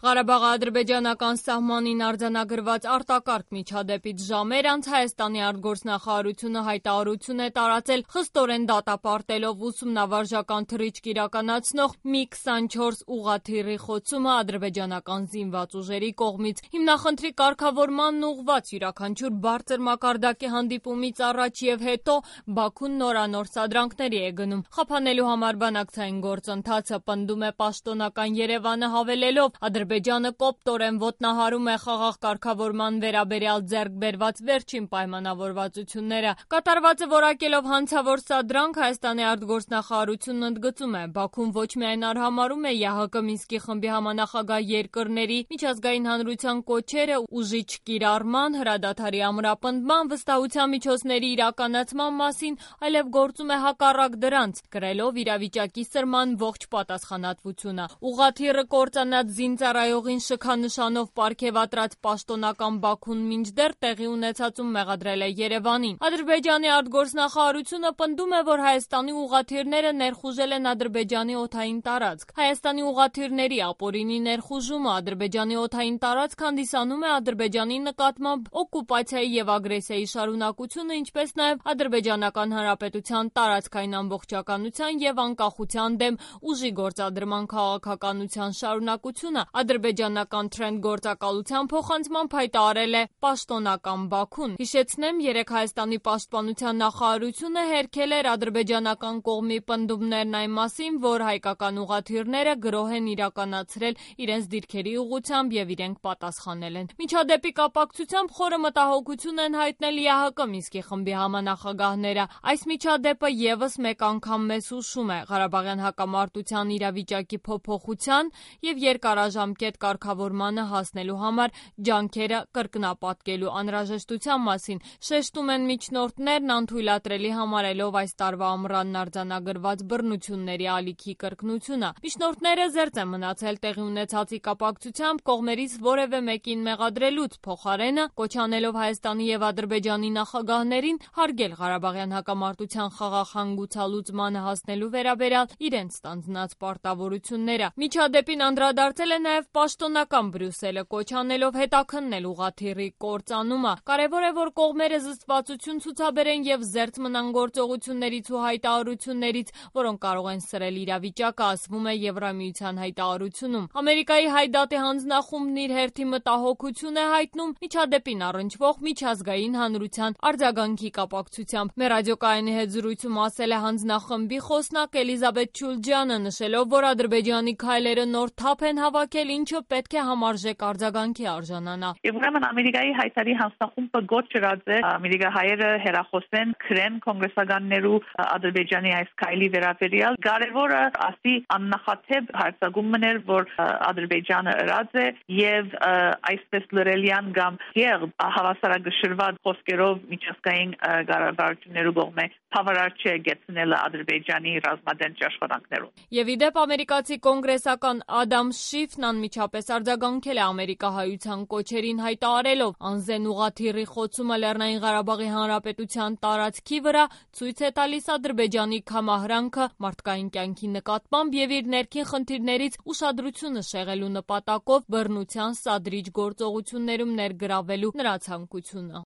Ղարաբաղի ադրբեջանական սահմանին արձանագրված արտակարգ միջադեպից ժամեր անց Հայաստանի արտգործնախարարությունը հայտարարություն է տարածել խստորեն դատապարտելով ուսումնավարժական թռիչք իրականացնող Mi-24 ուղղաթիռի խոցումը ադրբեջանական զինված ուժերի կողմից։ Հիմնախնդրի կարգավորմանն ուղղված յուրաքանչյուր բարձր մակարդակի հանդիպումից առաջ եւ հետո Բաքուն նորանոր սադրանքների է գնում։ Խափանելու համար բանակցային գործընթացը պնդում է պաշտոնական Երևանը, հավելելով Ադրբեջանը կոպտորեն ոտնահարում է խաղաղ կարգավորման վերաբերյալ ձեռք բերված վերջին պայմանավորվածությունները։ Կատարվածը որակելով հանցավոր սադրանք Հայաստանի արտգործնախարարությունն ընդգծում է. Բաքուն ոչ միայն արհամարհում է ԵԱՀԿ Մինսկի խմբի համանախագահ երկրների միջազգային հանրության կոչերը ուժի չկիրառման, հրադադարի ամրապնդման, վստահության միջոցների իրականացման մասին, այլև գործում է հակառակ դրանց, կրելով իրավիճակի սրման ողջ պատասխանատվությունը։ Ուղղաթիռը կործանած զինծառայողին շքանշանով պարգևատրած պաշտոնական Բաքուն մինչդեռ տեղի ունեցածում մեղադրել է Երևանին։ Ադրբեջանի արտգործնախարարությունը պնդում է, որ Հայաստանի ուղղաթիռները ներխուժել են Ադրբեջանի օդային տարածք։ Հայաստանի ուղղաթիռների ապօրինի ներխուժումը Ադրբեջանի օդային տարածք հանդիսանում է Ադրբեջանի նկատմամբ օկուպացիայի եւ ագրեսիայի շարունակությունը, ինչպես նաեւ Ադրբեջանական Հանրապետության տարածքային ամբողջականության եւ անկախության դեմ ուժի գործադրման քաղաքականության շարունակությունը, ադրբեջանական Թրենդ գործակալության փոխանցմամբ հայտարարել է պաշտոնական Բաքուն։ Հիշեցնեմ, երեկ Հայաստանի պաշտպանության նախարարությունը հերքել էր ադրբեջանական կողմի պնդումներն այն մասին, որ հայկական ուղղաթիռները գրոհ են իրականացրել իրենց դիրքերի ուղղությամբ եւ իրենք պատասխանել են։ Միջադեպի կապակցությամբ խորը մտահոգություն են հայտնել ԵԱՀԿ Մինսկի խմբի համանախագահները։ Այս միջադեպը եւս մեկ անգամ մեզ հուշում է Ղարաբաղյան հակամարտության իրավիճակի փոփոխության եւ երկարաժամկետ կարգավորմանը հասնելու համար ջանքերը կրկնապատկելու անհրաժեշտության մասին։ Շեշտում են միջնորդներն, անթույլատրելի համարելով այս տարվա ամռանն արձանագրված բռնությունների ալիքի կրկնությունը։ Միջնորդները զերծ են մնացել տեղի ունեցածի կապակցությամբ կողմերից որևէ մեկին մեղադրելուց, փոխարենը կոչ անելով Հայաստանի եւ Ադրբեջանի նախագահներին հարգել Ղարաբաղյան հակամարտության խաղաղ հանգուցալուծմանը հասնելու վերաբերյալ իրենց ստանձնած պարտավորությունները։ Միջադեպին անդրադարձել է նաև պաշտոնական Բրյուսելը, կոչ անելով հետաքննել ուղղաթիռի կործանումը։ Կարևոր է, որ կողմերը զսպվածություն ցուցաբերեն եւ զերծ մնան գործողություններից ու հայտարարություններից, որոնք կարող են սրել իրավիճակը, ասվում է Եվրամիության հայտարարությունում։ Ամերիկայի Հայդատի հանձնախումբն իր հերթի մտահոգություն է հայտնում միջադեպին առնչվող միջազգային հանրության արձագանքի կապակցությամբ։ Մեր ռադիոկայանի հետ զրույցում ասել է հանձնախմբի խոսնակ Էլիզաբեթ Չուլջյանը, նշելով, որ Ադրբեջանի քայլերը նոր թափ են հավաքել, ինչը պետք է համարժեք արձագանքի արժանանա։ Եվ ուրեմն Ամերիկայի հայտարարի հանձնախումբը գոչ չրած է ամերիկահայերը հերախոսեն քրեն կոնգրեսականներու Ադրբեջանի այս քայլի վերաբերյալ։ Կարևորը ասի աննախադեպ հարձակում մներ, որ Ադրբեջանը ըրած է եւ այսպես լրելյան կամ եղբ հավասարակշռված խոսքերով միջազգային կառավարություններու կողմէ բավարար չէ գեցնելը Ադրբեջանի ռազմադեն աշխատանքներում։ Եվ իդեպ ամերիկացի կոնգրեսական Ադամ Շիֆն անմիջապես արձագանքել է ամերիկահայության կոչերին, հայտարարելով. անզեն ուղղաթիռի խոցումը Լեռնային Ղարաբաղի Հանրապետության տարածքի վրա ցույց է տալիս Ադրբեջանի կամահրանքը մարդկային կյանքի նկատմամբ եւ իր ներքին խնդիրներից ուշադրությունը շեղելու նպատակով բռնության սադրիչ գործողություններում ներգրավելու նրա ցանկությունը։